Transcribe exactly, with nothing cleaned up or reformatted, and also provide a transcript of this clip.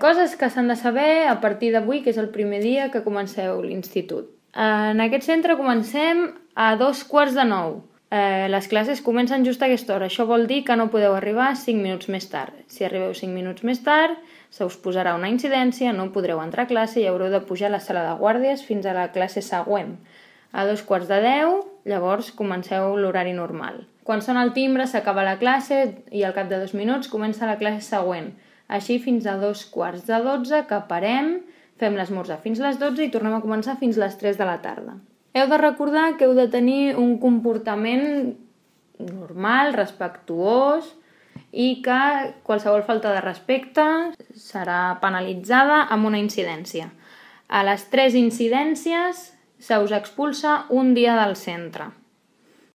Coses que s'han de saber a partir d'avui, que és el primer dia que comenceu l'institut. En aquest centre comencem a dos quarts de nou. Eh, les classes comencen just a aquesta hora. Això vol dir que no podeu arribar cinc minuts més tard. Si arribeu cinc minuts més tard, se us posarà una incidència, no podreu entrar a classe i haureu de pujar a la sala de guàrdies fins a la classe següent. A dos quarts de deu, llavors comenceu l'horari normal. Quan sona el timbre s'acaba la classe i al cap de dos minuts comença la classe següent. Així fins a dos quarts de dotze, que parem, fem l'esmorzar fins les dotze i tornem a començar fins les tres de la tarda. Heu de recordar que heu de tenir un comportament normal, respectuós, i que qualsevol falta de respecte serà penalitzada amb una incidència. A les tres incidències se us expulsa un dia del centre.